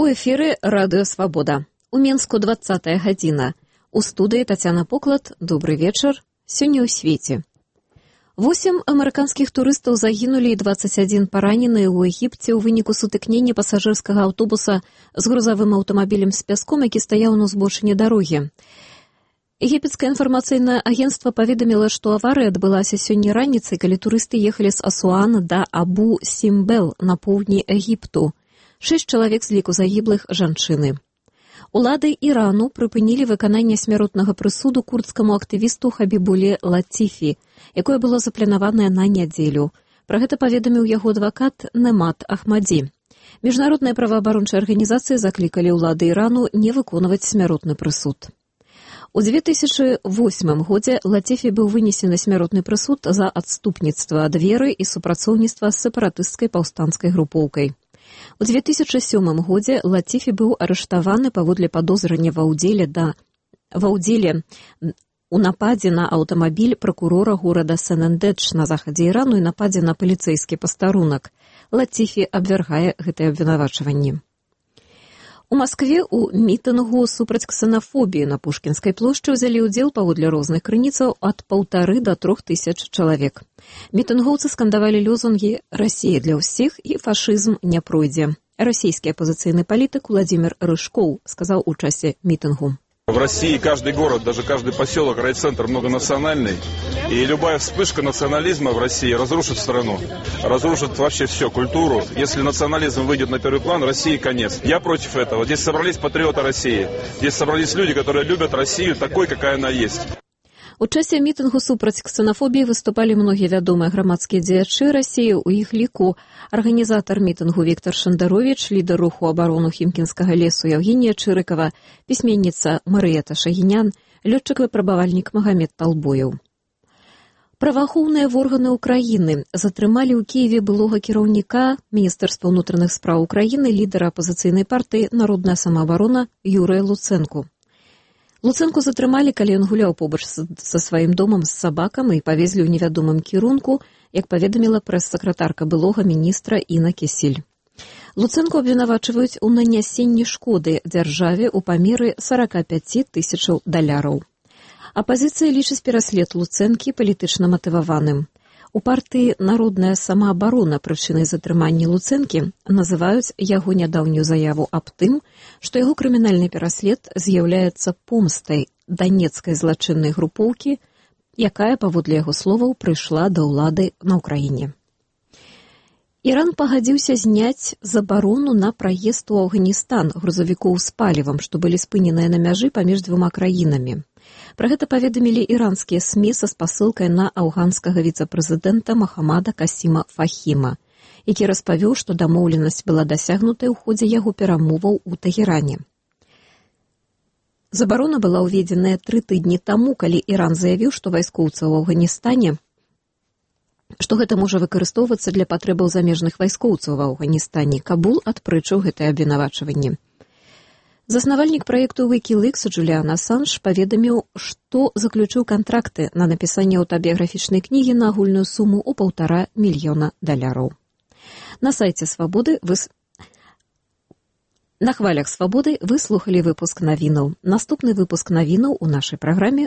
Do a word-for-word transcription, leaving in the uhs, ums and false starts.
У эфіры радыё «Свабода». У Менску двадцатая гадзіна. У студыі Тацяна Поклад. Добры вечар. Сёння ў свеце. Восем амерыканскіх турыстаў загінулі і дваццаць адзін паранены ў Егіпце ў выніку сутыкнення пасажырскага аўтобуса з грузавым аўтамабілем з пяском, які стаяў на ўзбочыне дарогі. Егіпецкае інфармацыйнае агенцтва паведаміла, што аварыя адбылася сёння раніцай, калі турысты ехалі з Асуана да Абу-Сімбел на поўдні Егіпту. Шэсць чалавек з ліку загіблых жанчыны. Улады Ірану прыпынілі выкананне смяротнага прысуду курдскаму актывісту Хабібуле Латифі, якое было запланаванае на нядзелю. Пра гэта паведаміў яго адвакат Немат Ахмадзі. Міжнародныя праваабарончыя арганізацыі заклікалі ўлады Ірану не выконваць смяротны прысуд. У дзве тысячы восьмым годзе Латифі быў вынесены смяротны прысуд за адступніцтва ад веры і супрацоўніцтва з сепаратысцкай паўстанцкай групоўкай. У дзве тысячы сёмым годзе Латифі быў арыштаваны паводле падозрання ва ўдзеле да ва ўдзеле у нападзе на аўтамабіль пракурора горада Сен-Эндедж на захадзе Ірану і нападзе на паліцэйскі пастарунак. Латифі абвяргае гэтыя абвінавачванні. У Маскве ў мітынгу супраць ксенафобіі на Пушкінскай плошчы ўзялі ўдзел паводле розных крыніцаў ад паўтары да трох тысяч чалавек. Мітынгоўцы скандавалі лозунгі «Расія для ўсіх» і «Фашызм не пройдзе». Расійскі апозіцыйны палітык Владзімір Рыжкоў сказаў у часе мітынгу. В России каждый город, даже каждый поселок, райцентр многонациональный. И любая вспышка национализма в России разрушит страну. Разрушит вообще все, культуру. Если национализм выйдет на первый план, России конец. Я против этого. Здесь собрались патриоты России. Здесь собрались люди, которые любят Россию такой, какая она есть. У часе мітынгу супраць ксенафобіі выступалі многія вядомыя грамадскія дзеячы Расіі, у іх ліку арганізатар мітынгу Віктор Шандаровіч, лідар руху абарону Хімкінскага лесу Яўгенія Чырыкава, пісьменніца Марыета Шагінян, лётчык-выпрабавальнік Магамед Талбоеў. Праваахоўныя органы ўкраіны затрымалі ў Кіеве былога кіраўніка Міністэрства ўнутраных спраў Украіны, лідара апазіцыйнай партыі «Народная самаабарона» Юрыя Луцэнку. Луцэнку затрымалі, калі ён гуляў побач са сваім домам з сабакам і павезлі ў невядомым кірунку, як паведаміла прэс-сакратарка былога міністра Інна Кісіль. Луцэнку абвінавачваюць у нанясенні шкоды дзяржаве ў памеры сорок пять тысячаў даляраў. Апазіцыя лічыць пераслед Луцэнкі палітычна матываваным. У партыі «Народная самаабарона» прычынай затрымання Луцэнкі называюць яго нядаўнюю заяву аб тым, што яго крымінальны пераслед з'яўляецца помстай данецкай злачыннай групоўкі, якая, паводле яго словаў, прыйшла да ўлады на ўкраіне. Іран пагадзіўся зняць забарону на праезд у Афганістан грузавікоў з палівам, што былі спыненыя на мяжы паміж двума краінамі. Пра гэта паведамілі іранскія СМІ са спасылкай на афганскага віцэ-прэзідэнта Махамада Касіма Фахіма, які распавёў, што дамоўленасць была дасягнутая ў ходзе яго перамоваў у Тэгеране. Забарона была ўведзеная тры тыдні таму, калі Іран заявіў, што вайскоўцы ў Афганістане, што гэта можа выкарыстоўвацца для патрэбаў замежных вайскоўцаў ва Афганістане. Кабул адпрэчыў гэтае абвінавачванне. Заснавальнік праекту Wikileaks Джуліан Асанж паведаміў, што заключыў кантракты на напісанне аўтабіяграфічнай кнігі на агульную суму ў паўтара мільёна даляраў. На сайце Свабоды вы... На хвалях Свабоды вы слухалі выпуск навінаў. Наступны выпуск навінаў у нашай праграме